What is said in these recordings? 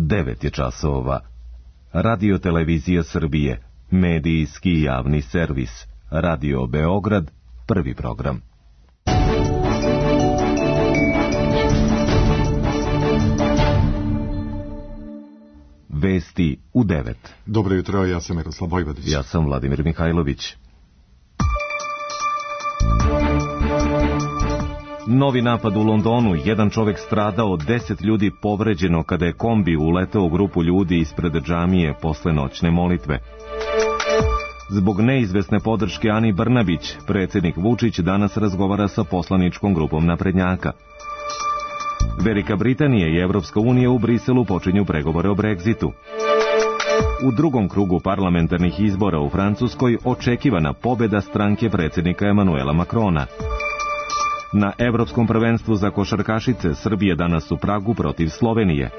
9 je časova. Radio Televizija Srbije, medijski javni servis. Radio Beograd, prvi program. Vesti u 9. Dobro jutro, ja sam Miroslav Vojvodić. Ja sam Vladimir Mihajlović. Novi napad u Londonu, jedan čovek stradao, 10 ljudi povređeno kada je kombi uleteo u grupu ljudi ispred džamije posle noćne molitve. Zbog neizvesne podrške Ani Brnabić, predsjednik Vučić danas razgovara sa poslaničkom grupom naprednjaka. Velika Britanija i Evropska unija u Briselu počinju pregovore o Brexitu. U drugom krugu parlamentarnih izbora u Francuskoj očekivana pobjeda stranke predsjednika Emanuela Macrona. Na Evropskom prvenstvu za košarkašice Srbije danas u Pragu protiv Slovenije.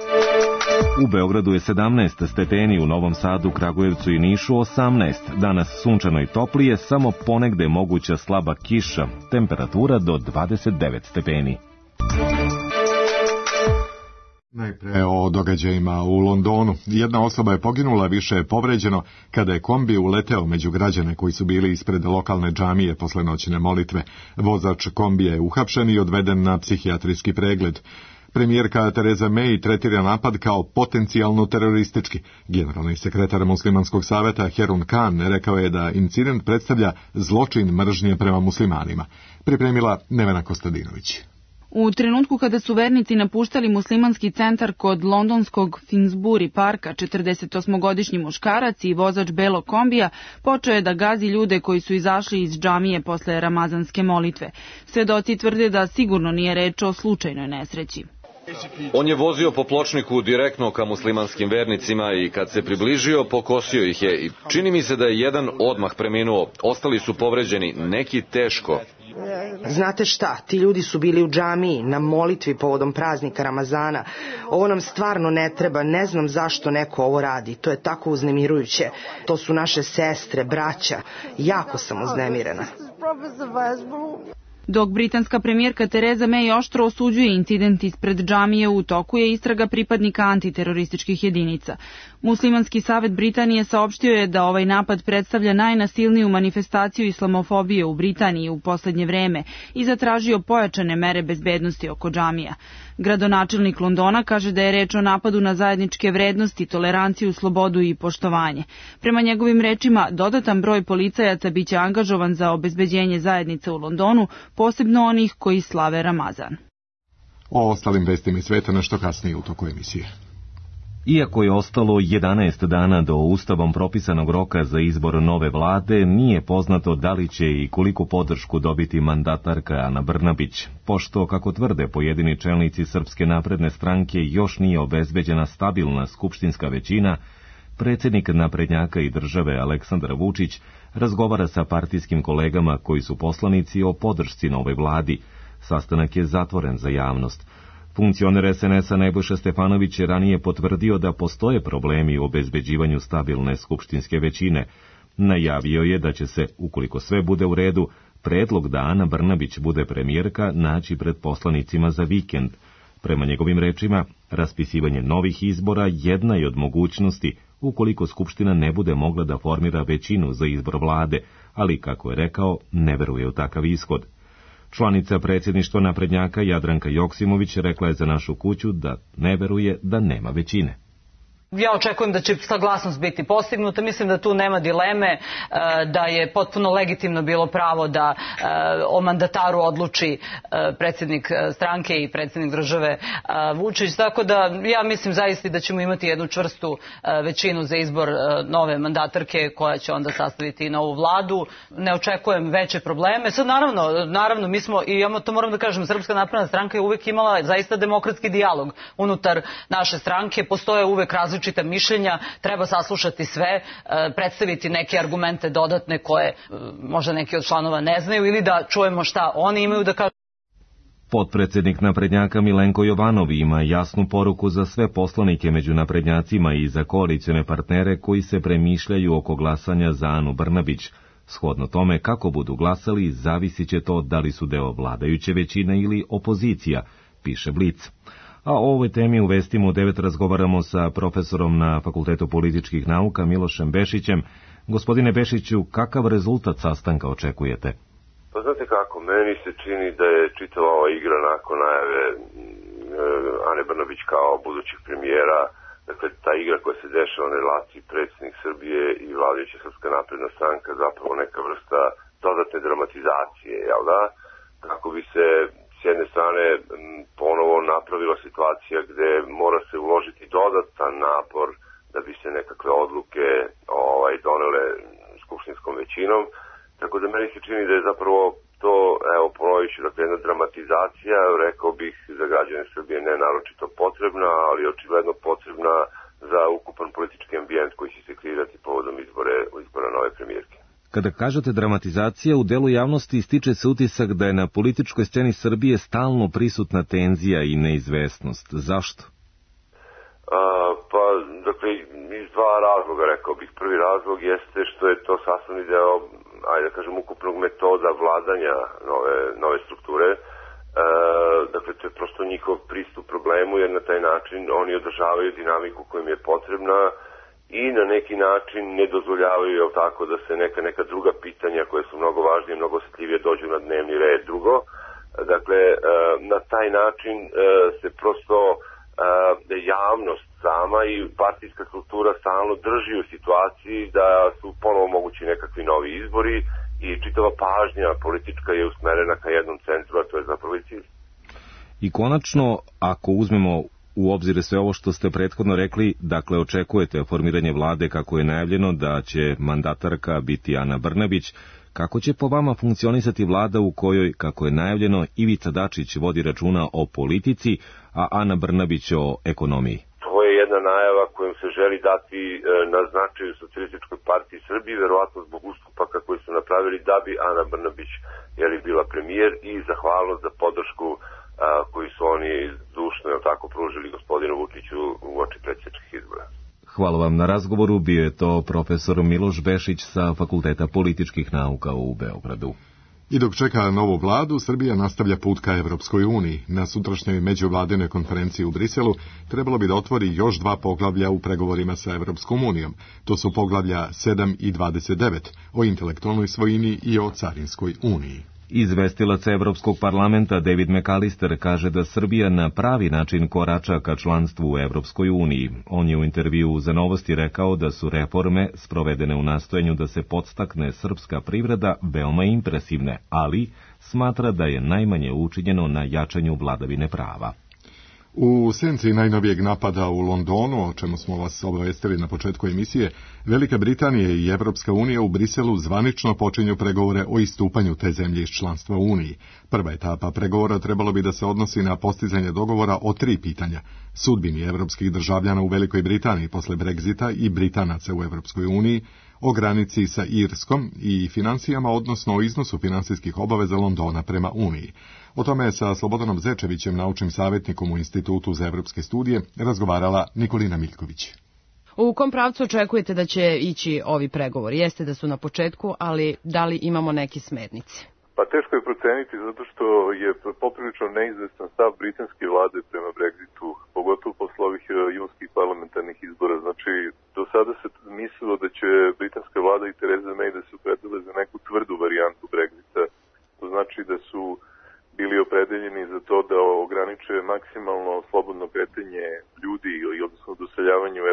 U Beogradu je 17 stepeni, u Novom Sadu, Kragujevcu i Nišu 18. Danas sunčano i toplije, samo ponegde moguća slaba kiša, temperatura do 29 stepeni. Najpre o događajima u Londonu. Jedna osoba je poginula, više je povređeno kada je kombi uleteo među građane koji su bili ispred lokalne džamije posle noćne molitve. Vozač kombija je uhapšen i odveden na psihijatrijski pregled. Premijerka Tereza May tretira napad kao potencijalno teroristički. Generalni sekretar Muslimanskog saveta Herun Khan rekao je da incident predstavlja zločin mržnje prema muslimanima. Pripremila Nevena Kostadinović. U trenutku kada su vernici napuštali muslimanski centar kod londonskog Finsbury parka, 48-godišnji muškarac i vozač belog kombija počeo je da gazi ljude koji su izašli iz džamije posle ramazanske molitve. Svedoci tvrde da sigurno nije reč o slučajnoj nesreći. On je vozio po pločniku direktno ka muslimanskim vernicima i kad se približio pokosio ih je. I čini mi se da je jedan odmah preminuo, ostali su povređeni, neki teško. Znate šta, ti ljudi su bili u džamiji na molitvi povodom praznika Ramazana. Ovo nam stvarno ne treba, ne znam zašto neko ovo radi, to je tako uznemirujuće. To su naše sestre, braća, jako sam uznemirena. Dok britanska premijerka Tereza May oštro osuđuje incident ispred džamije, u toku je istraga pripadnika antiterorističkih jedinica. Muslimanski savet Britanije saopštio je da ovaj napad predstavlja najnasilniju manifestaciju islamofobije u Britaniji u poslednje vreme i zatražio pojačane mere bezbednosti oko džamija. Gradonačelnik Londona kaže da je reč o napadu na zajedničke vrednosti, toleranciju, slobodu i poštovanje. Prema njegovim rečima, dodatan broj policajaca biće angažovan za obezbeđenje zajednice u Londonu, posebno onih koji slave Ramazan. O ostalim vestima sveta nešto kasnije u toku emisije. Iako je ostalo 11 dana do ustavom propisanog roka za izbor nove vlade, nije poznato da li će i koliko podršku dobiti mandatarka Ana Brnabić, pošto, kako tvrde pojedini čelnici Srpske napredne stranke, još nije obezbeđena stabilna skupštinska većina. Predsjednik naprednjaka i države Aleksandar Vučić razgovara sa partijskim kolegama koji su poslanici o podršci novoj vladi. Sastanak je zatvoren za javnost. Funkcioner SNS-a Nebojša Stefanović je ranije potvrdio da postoje problemi u obezbeđivanju stabilne skupštinske većine. Najavio je da će se, ukoliko sve bude u redu, predlog da Ana Brnabić bude premijerka naći pred poslanicima za vikend. Prema njegovim rečima, raspisivanje novih izbora jedna je od mogućnosti ukoliko Skupština ne bude mogla da formira većinu za izbor vlade, ali, kako je rekao, ne veruje u takav ishod. Članica predsjedništva naprednjaka Jadranka Joksimović rekla je za Našu kuću da ne veruje da nema većine. Ja očekujem da će saglasnost biti postignuta, mislim da tu nema dileme, da je potpuno legitimno bilo pravo da o mandataru odluči predsjednik stranke i predsjednik države Vučić, tako da ja mislim zaista da ćemo imati jednu čvrstu većinu za izbor nove mandatarke koja će onda sastaviti i novu vladu. Ne očekujem veće probleme. Sad naravno mi smo, i ja to moram da kažem, Srpska napredna stranka je uvek imala zaista demokratski dijalog unutar naše stranke, postoje uvek različite mišljenja, treba saslušati sve, predstaviti neke argumente dodatne koje možda neki od članova ne znaju ili da čujemo šta oni imaju da kažu. Potpredsjednik naprednjaka Milenko Jovanov ima jasnu poruku za sve poslanike među naprednjacima i za koalicione partnere koji se premišljaju oko glasanja za Anu Brnabić. Shodno tome kako budu glasali, zavisit će to da li su deo vladajuće većine ili opozicija, piše Blic. A o ovoj temi u Vestima u 9 razgovaramo sa profesorom na Fakultetu političkih nauka Milošem Bešićem. Gospodine Bešiću, kakav rezultat sastanka očekujete? Pa znate kako, meni se čini da je čitava ova igra nakon najave Ane Brnabić kao budućeg premijera, dakle ta igra koja se dešava na relaciji predsjednik Srbije i vladajuća Srpska napredna stranka zapravo neka vrsta dodatne dramatizacije, jel da? Kako bi se s jedne strane ponovo napravila situacija gde mora se uložiti dodatan napor da bi se nekakve odluke donele skupštinskom većinom. Tako da meni se čini da je zapravo to, evo ponovit ću, dakle jedna dramatizacija, rekao bih za građane Srbije ne naročito potrebna, ali očigledno potrebna za ukupan politički ambijent koji će se kreirati povodom izbora nove premijerke. Kada kažete dramatizacija, u delu javnosti stiče se utisak da je na političkoj sceni Srbije stalno prisutna tenzija i neizvesnost. Zašto? Pa, dakle, iz dva razloga, rekao bih. Prvi razlog jeste što je to sastavni deo, ajde da kažem, ukupnog metoda vladanja nove strukture. Dakle, to je prosto njihov pristup problemu, jer na taj način oni održavaju dinamiku koja im je potrebna i na neki način ne dozvoljavaju, jel tako, da se neka druga pitanja koja su mnogo važnije, mnogo osjetljivije dođu na dnevni red. Drugo, dakle, na taj način se prosto javnost sama i partijska struktura stalno drži u situaciji da su ponovo mogući nekakvi novi izbori i čitava pažnja politička je usmerena ka jednom centru, a to je zapravo i cilj. I konačno, ako uzmemo u obzir sve ovo što ste prethodno rekli, dakle očekujete formiranje vlade kako je najavljeno da će mandatarka biti Ana Brnabić, kako će po vama funkcionisati vlada u kojoj, kako je najavljeno, Ivica Dačić vodi računa o politici, a Ana Brnabić o ekonomiji? To je jedna najava kojom se želi dati na značaju Socijalističkoj partiji Srbije, verovatno zbog ustupaka koji su napravili da bi Ana Brnabić bila premijer i zahvalnost za podršku koji su oni zdušno pružili gospodinu Vučiću u oči predsjedničkih izbora. Hvala vam na razgovoru, bio je to profesor Miloš Bešić sa Fakulteta političkih nauka u Beogradu. I dok čeka novu vladu, Srbija nastavlja put ka Evropskoj uniji. Na sutrašnjoj međuvladinoj konferenciji u Briselu trebalo bi da otvori još 2 poglavlja u pregovorima sa Evropskom unijom. To su poglavlja 7 i 29 o intelektualnoj svojini i o carinskoj uniji. Izvestilac Evropskog parlamenta David McAllister kaže da Srbija na pravi način korača ka članstvu u Evropskoj uniji. On je u intervjuu za Novosti rekao da su reforme sprovedene u nastojanju da se podstakne srpska privreda veoma impresivne, ali smatra da je najmanje učinjeno na jačanju vladavine prava. U senci najnovijeg napada u Londonu, o čemu smo vas obavestili na početku emisije, Velika Britanija i Evropska unija u Briselu zvanično počinju pregovore o istupanju te zemlje iz članstva u Uniji. Prva etapa pregovora trebalo bi da se odnosi na postizanje dogovora o 3 pitanja. Sudbini evropskih državljana u Velikoj Britaniji posle Brexita i Britanaca u Evropskoj uniji, o granici sa Irskom i financijama, odnosno o iznosu finansijskih obaveza Londona prema Uniji. O tome je sa Slobodanom Zečevićem, naučnim savjetnikom u Institutu za evropske studije, razgovarala Nikolina Miljković. U kom pravcu očekujete da će ići ovi pregovori? Jeste da su na početku, ali da li imamo neke smernice? Pa teško je proceniti zato što je poprilično neizvestan stav britanske vlade prema Brexitu, pogotovo posle ovih junskih parlamentarnih izbora. Znači, do sada se mislilo da će britanska vlada i Theresa May da se opredele za neku tvrdu varijantu Brexita. To znači da su bili opredeljeni za to da ograniče maksimalno slobodno kretanje ljudi ili odnosno doseljavanje u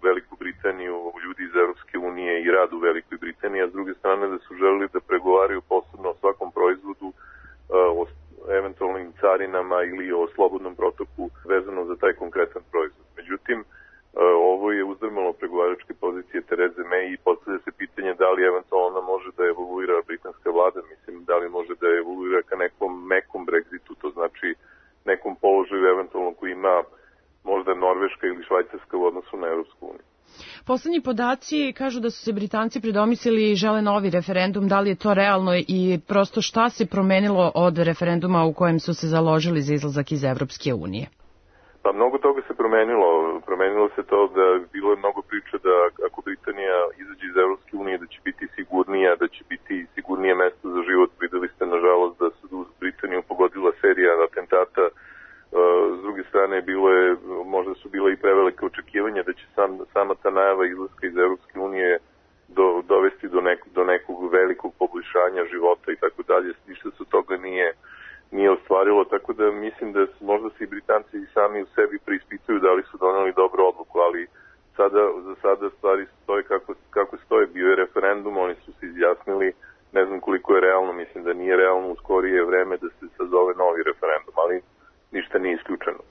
Veliku Britaniju, ljudi iz Evropske unije i rad u Velikoj Britaniji, a s druge strane da su želeli da pregovaraju posebno o svakom proizvodu, o eventualnim carinama ili o slobodnom protoku vezano za taj konkretan proizvod. Međutim, ovo je uzdrmalo pregovaračke pozicije Therese May i postavlja se pitanje da li eventualno ona može da evoluira britanska vlada, mislim da li može da evoluira ka nekom mekom Brexitu, to znači nekom položaju eventualno koji ima možda Norveška ili Švajcarska u odnosu na Evropsku uniju. Poslednji podaci kažu da su se Britanci predomislili i žele novi referendum. Da li je to realno i prosto šta se promenilo od referenduma u kojem su se založili za izlazak iz Evropske unije? Pa mnogo toga se promenilo. Promenilo se to da bilo je mnogo priča da ako Britanija izađe iz Evropske unije da će biti sigurnija, da će biti sigurnije mesto za život. Videli ste nažalost da se u Britaniju pogodila serija atentata. S druge strane možda su bile i prevelike očekivanja da će sama ta najava izlaska iz Evropske unije dovesti do nekog velikog poboljšanja života i tako dalje. Ništa se toga nije ostvarilo, tako da mislim da možda se i Britanci sami u sebi preispituju da li su doneli dobru odluku, ali za sada stvari stoje kako stoje. Bio je referendum, oni su se izjasnili, ne znam koliko je realno, mislim da nije realno u skorije vreme da se sazove novi referendum, ali ništa nije isključeno.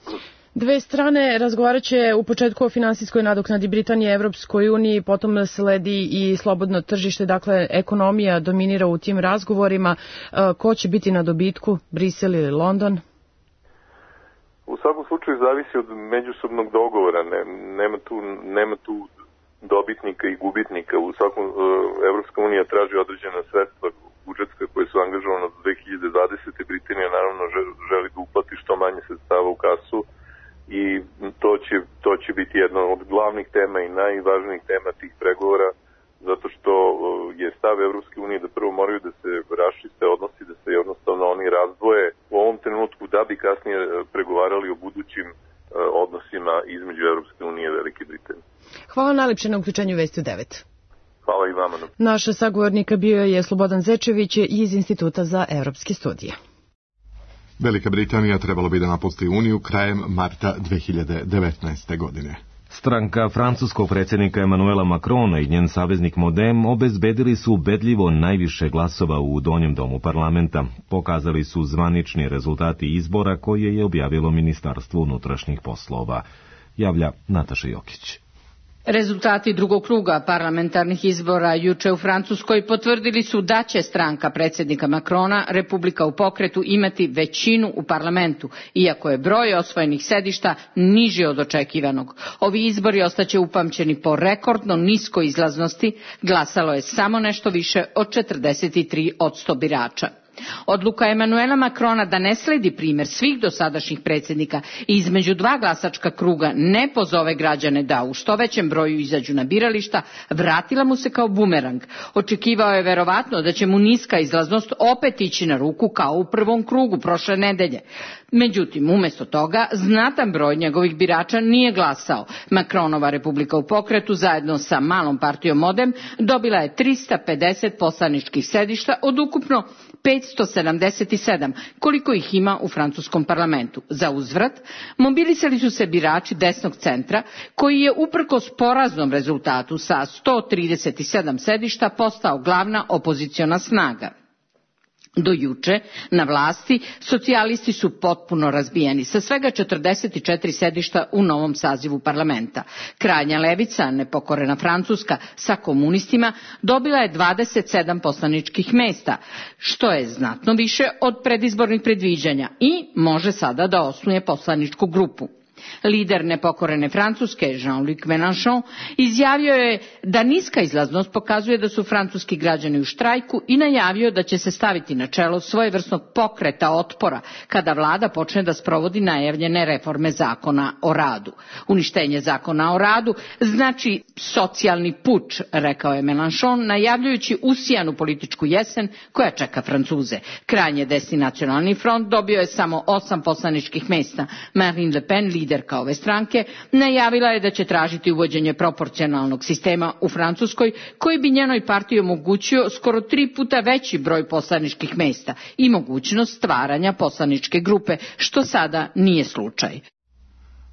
Dve strane razgovarat će u početku o finansijskoj nadoknadi Britanije Evropskoj uniji, potom sledi i slobodno tržište, dakle ekonomija dominira u tim razgovorima. Ko će biti na dobitku, Brisel ili London? U svakom slučaju zavisi od međusobnog dogovora, nema tu dobitnika i gubitnika. U svakom Evropska unija traži određena sredstva budžetska koje su angažovane do 2020. Britanija naravno želi da uplati što manje sredstava u kasu i to će biti jedna od glavnih tema i najvažnijih tema tih pregovora, zato što je stav Evropske unije da prvo moraju da se raščiste odnosi, da se jednostavno oni razdvoje u ovom trenutku da bi kasnije pregovarali o budućim odnosima između Evropske unije i Velike Britanije. Hvala najlepše na uključenju Vesti u 9. Hvala i vama. Naš sagovornik bio je Slobodan Zečević iz Instituta za evropske studije. Velika Britanija trebalo bi da napusti Uniju krajem marta 2019. godine. Stranka francuskog predsjednika Emanuela Macrona i njen saveznik Modem obezbedili su ubedljivo najviše glasova u donjem domu parlamenta. Pokazali su zvanični rezultati izbora koje je objavilo Ministarstvo unutrašnjih poslova. Javlja Nataša Jokić. Rezultati drugog kruga parlamentarnih izbora juče u Francuskoj potvrdili su da će stranka predsjednika Macrona, Republika u pokretu, imati većinu u parlamentu, iako je broj osvojenih sedišta niži od očekivanog. Ovi izbori ostaće upamćeni po rekordno niskoj izlaznosti, glasalo je samo nešto više od 43% birača. Odluka Emanuela Macrona da ne sledi primjer svih dosadašnjih predsjednika i između dva glasačka kruga ne pozove građane da u što većem broju izađu na birališta, vratila mu se kao bumerang. Očekivao je verovatno da će mu niska izlaznost opet ići na ruku kao u prvom krugu prošle nedelje. Međutim, umjesto toga, znatan broj njegovih birača nije glasao. Macronova Republika u pokretu zajedno sa malom partijom Modem dobila je 350 poslaničkih sedišta od ukupno 577, koliko ih ima u francuskom parlamentu. Za uzvrat, mobilisali su se birači desnog centra, koji je uprkos poraznom rezultatu sa 137 sedišta postao glavna opoziciona snaga. Do juče na vlasti socijalisti su potpuno razbijeni sa svega 44 sedišta u novom sazivu parlamenta. Krajnja levica, nepokorena Francuska, sa komunistima dobila je 27 poslaničkih mesta, što je znatno više od predizbornih predviđanja i može sada da osnuje poslaničku grupu. Lider nepokorene Francuske, Jean-Luc Mélenchon, izjavio je da niska izlaznost pokazuje da su francuski građani u štrajku i najavio da će se staviti na čelo svojevrsnog pokreta otpora kada vlada počne da sprovodi najavljene reforme zakona o radu. Uništenje zakona o radu znači socijalni puč, rekao je Mélenchon, najavljujući usijanu političku jesen koja čeka Francuze. Krajnje desni Nacionalni front dobio je samo 8 poslaničkih mesta. Marine Le Pen, liderka ove stranke, najavila je da će tražiti uvođenje proporcionalnog sistema u Francuskoj, koji bi njenoj partiji omogućio skoro 3 puta veći broj poslaničkih mesta i mogućnost stvaranja poslaničke grupe, što sada nije slučaj.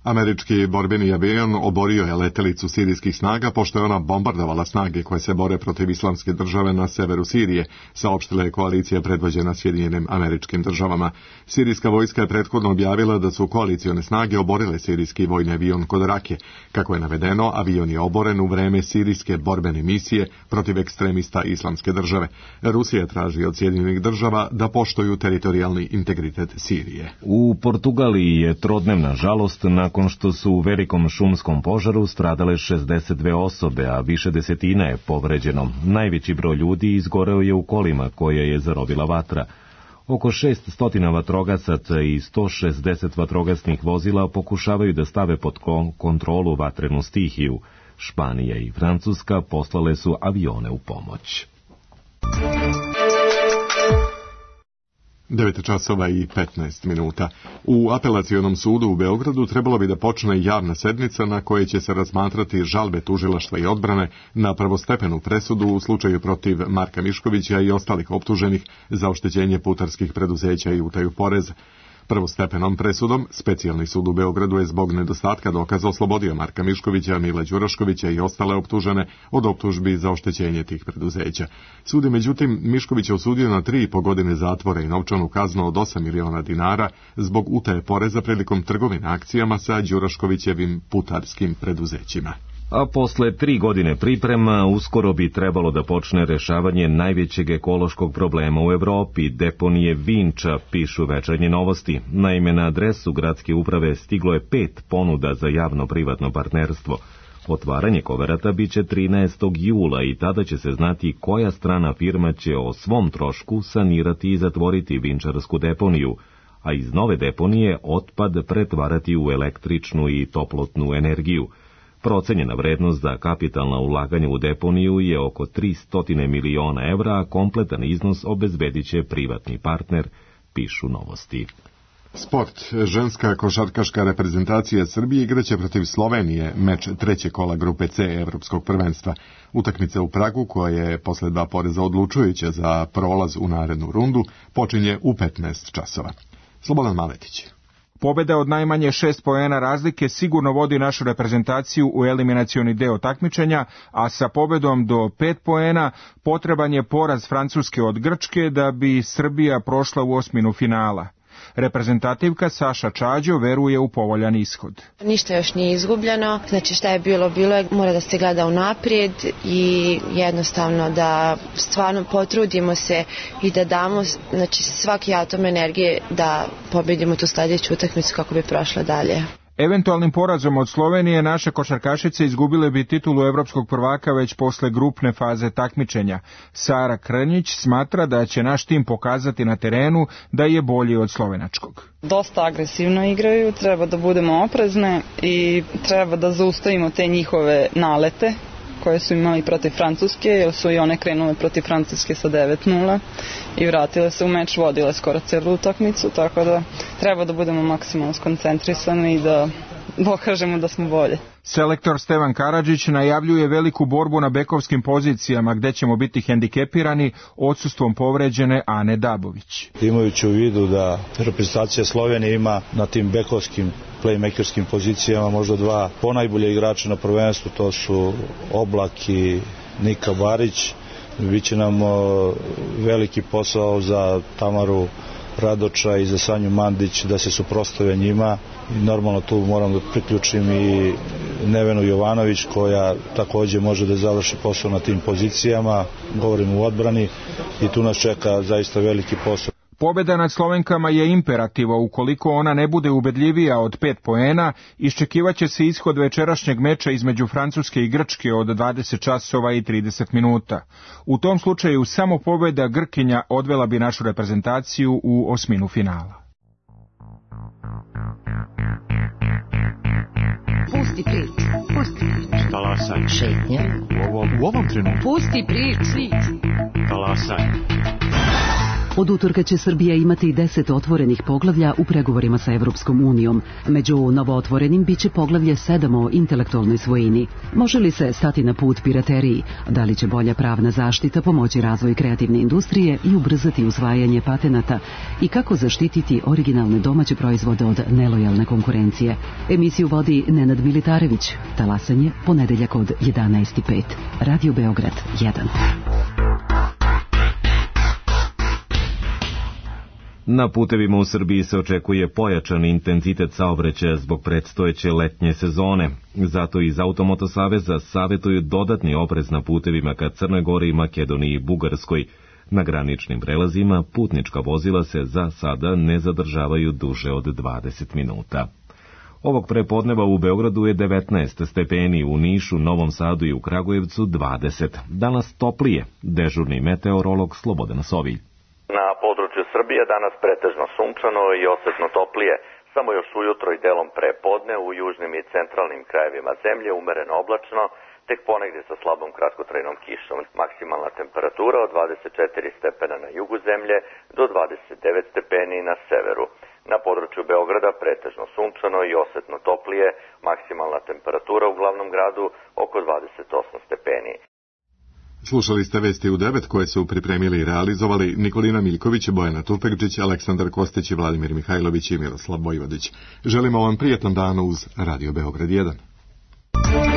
Američki borbeni avion oborio je letelicu sirijskih snaga pošto je ona bombardovala snage koje se bore protiv Islamske države na severu Sirije, saopštila je koalicija predvođena Sjedinjenim Američkim Državama. Sirijska vojska je prethodno objavila da su koalicione snage oborile sirijski vojni avion kod Rake. Kako je navedeno, avion je oboren u vreme sirijske borbene misije protiv ekstremista Islamske države. Rusija traži od Sjedinjenih Država da poštuju teritorijalni integritet Sirije. U Portugaliji je trodnevna žalost nakon što su u velikom šumskom požaru stradale 62 osobe, a više desetina je povređeno. Najveći broj ljudi izgoreo je u kolima koje je zarobila vatra. Oko 600 vatrogasaca i 160 vatrogasnih vozila pokušavaju da stave pod kontrolu vatrenu stihiju. Španija i Francuska poslale su avione u pomoć. 9 časova i 15 minuta. U apelacionom sudu u Beogradu trebalo bi da počne javna sednica na kojoj će se razmatrati žalbe tužilaštva i odbrane na prvostepenu presudu u slučaju protiv Marka Miškovića i ostalih optuženih za oštećenje putarskih preduzeća i utaju poreza. Prvostepenom presudom Specijalni sud u Beogradu je zbog nedostatka dokaza oslobodio Marka Miškovića, Mila Đuraškovića i ostale optužene od optužbi za oštećenje tih preduzeća. Sud je međutim Miškovića osudio na 3,5 godine zatvora i novčanu kaznu od 8 miliona dinara zbog utaje poreza prilikom trgovine akcijama sa Đuraškovićevim putarskim preduzećima. A posle 3 godine priprema uskoro bi trebalo da počne rešavanje najvećeg ekološkog problema u Evropi, deponije Vinča, pišu Večernje novosti. Naime, na adresu gradske uprave stiglo je 5 ponuda za javno-privatno partnerstvo. Otvaranje koverata biće 13. jula i tada će se znati koja strana firma će o svom trošku sanirati i zatvoriti vinčarsku deponiju, a iz nove deponije otpad pretvarati u električnu i toplotnu energiju. Procenjena vrednost za kapitalna ulaganja u deponiju je oko 300 miliona evra, a kompletan iznos obezbedit će privatni partner, pišu novosti. Sport. Ženska košarkaška reprezentacija Srbije igraće protiv Slovenije meč trećeg kola grupe C Evropskog prvenstva. Utakmica u Pragu, koja je posle 2 poreza odlučujuća za prolaz u narednu rundu, počinje u 15 časova. Slobodan Maletić. Pobeda od najmanje 6 poena razlike sigurno vodi našu reprezentaciju u eliminacioni deo takmičenja, a sa pobedom do 5 poena potreban je poraz Francuske od Grčke da bi Srbija prošla u osminu finala. Reprezentativka Saša Čađo veruje u povoljan ishod. Ništa još nije izgubljeno, znači šta je bilo je, mora da se gleda unaprijed i jednostavno da stvarno potrudimo se i da damo znači, svaki atom energije da pobedimo tu sljedeću utakmicu kako bi prošla dalje. Eventualnim porazom od Slovenije naše košarkašice izgubile bi titulu evropskog prvaka već posle grupne faze takmičenja. Sara Krnjić smatra da će naš tim pokazati na terenu da je bolji od slovenačkog. Dosta agresivno igraju, treba da budemo oprezne i treba da zaustavimo te njihove nalete koje su imali protiv Francuske, jer su i one krenule protiv Francuske sa 9-0 i vratile se u meč, vodile skoro celu utakmicu, tako da treba da budemo maksimalno skoncentrisani i da pokažemo da smo bolje. Selektor Stevan Karadžić najavljuje veliku borbu na bekovskim pozicijama gde ćemo biti hendikepirani odsustvom povređene Ane Dabović. Imajući u vidu da reprezentacija Slovenije ima na tim bekovskim playmakerskim pozicijama možda 2 ponajbolje igrača na prvenstvu, to su Oblak i Nika Barić. Biće nam veliki posao za Tamaru Radoča i za Sanju Mandić da se suprotstave njima. I normalno tu moram da priključim i Nevenu Jovanović koja također može da završi posao na tim pozicijama. Govorim u odbrani i tu nas čeka zaista veliki posao. Pobeda nad Slovenkama je imperativa, ukoliko ona ne bude ubedljivija od 5 poena, iščekivaće se ishod večerašnjeg meča između Francuske i Grčke od 20 časova i 30 minuta. U tom slučaju samo pobeda Grkinja odvela bi našu reprezentaciju u osminu finala. Pusti priču, pusti priču. Talasaj. Šetnja. U ovom trenutku. Pusti priču. Talasaj. Od utorka će Srbija imati 10 otvorenih poglavlja u pregovorima sa Evropskom unijom. Među novootvorenim biće poglavlje 7 o intelektualnoj svojini. Može li se stati na put pirateriji? Da li će bolja pravna zaštita pomoći razvoj kreativne industrije i ubrzati usvajanje patenata? I kako zaštititi originalne domaće proizvode od nelojalne konkurencije? Emisiju vodi Nenad Militarević. Talasanje ponedeljak od 11:05. Radio Beograd 1. Na putevima u Srbiji se očekuje pojačan intenzitet saobraćaja zbog predstojeće letnje sezone. Zato iz Automoto Saveza savjetuju dodatni oprez na putevima ka Crnoj Gori, Makedoniji i Bugarskoj. Na graničnim prelazima putnička vozila se za sada ne zadržavaju duže od 20 minuta. Ovog prepodneva u Beogradu je 19 stepeni, u Nišu, Novom Sadu i u Kragujevcu 20. Danas toplije, dežurni meteorolog Slobodan Sovilj. Na području Srbije danas pretežno sunčano i osetno toplije, samo još ujutro i delom prepodne u južnim i centralnim krajevima zemlje umereno oblačno tek ponegde sa slabom kratkotrajnom kišom. Maksimalna temperatura od 24 stepena na jugu zemlje do 29 stepeni na severu. Na području Beograda pretežno sunčano i osetno toplije, maksimalna temperatura u glavnom gradu oko 28 stepeni. Slušali ste Vesti u 9 koje su pripremili i realizovali Nikolina Miljković, Bojana Tupekđić, Aleksandar Kostić, Vladimir Mihajlović i Miroslav Vojvodić. Želimo vam prijetan dan uz Radio Beograd 1.